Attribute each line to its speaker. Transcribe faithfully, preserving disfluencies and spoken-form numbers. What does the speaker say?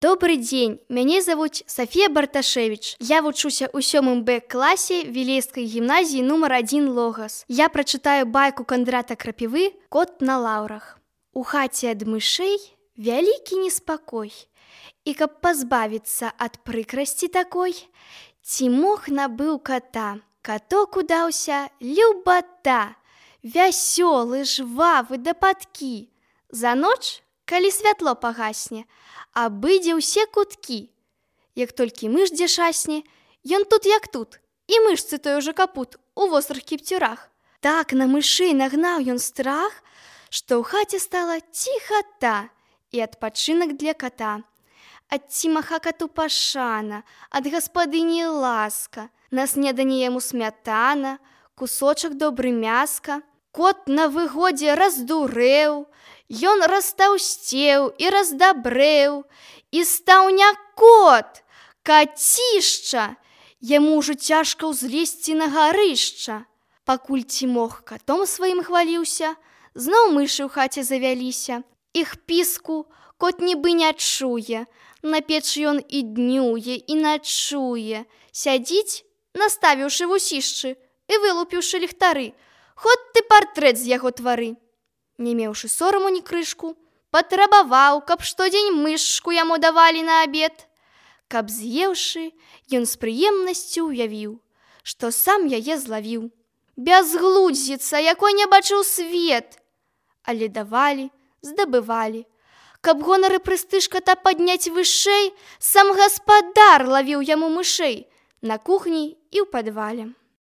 Speaker 1: Добрый дзень, мяне завуць Сафія Барташевіч. Я вучуся ў сёмым Б класе Вілейскай гімназіі нумар адзін Логас. Я прачытаю байку Кандрата Крапівы «Кот на лаўрах». У хаце ад мышэй вялікі неспакой. І каб пазбавіцца ад прыкрасці такой, Цімох набыў ката. Каток удаўся любата, вясёлы, жвавы да падкі. За ноч, калі святло пагасне, абыдзе ўсе куткі. Як толькі мыш дзе шасне, ён тут як тут, і мышцы той уже капут у вострых кіпцюрах. Так на мышэй нагнаў ён страх, што ў хаце стала ціхата і адпачынак для ката. Ад Цімаха кату пашана, ад гаспадыні ласка, на снеданне яму смятана, кусочак добры мяска. Кот на выгодзе раздурэў, ён растаўсцеў і раздабрэў, і стаў не кот, кацішча. Яму ўжо цяжка ўзлезці на гарышча. Пакуль Цімох катом сваім хваліўся, зноў мышы ў хаце завяліся. Іх піску кот нібы не чуе, на печы ён і днюе, і начуе. Сядзіць, наставіўшы вусішчы і вылупіўшы ліхтары, хоць ты партрэт з яго твары. Не меўшы сораму ні крышку, патрабаваў, каб штодзень мышку яму давалі на абед. Каб з'еўшы, ён з прыемнасцю ўявіў, што сам яе злавіў. Бязглудзіца, якой не бачыў свет. Але давалі, здабывалі. Каб гонар і прэстыж ката падняць вышэй, сам гаспадар лавіў яму мышэй на кухні і ў падвале.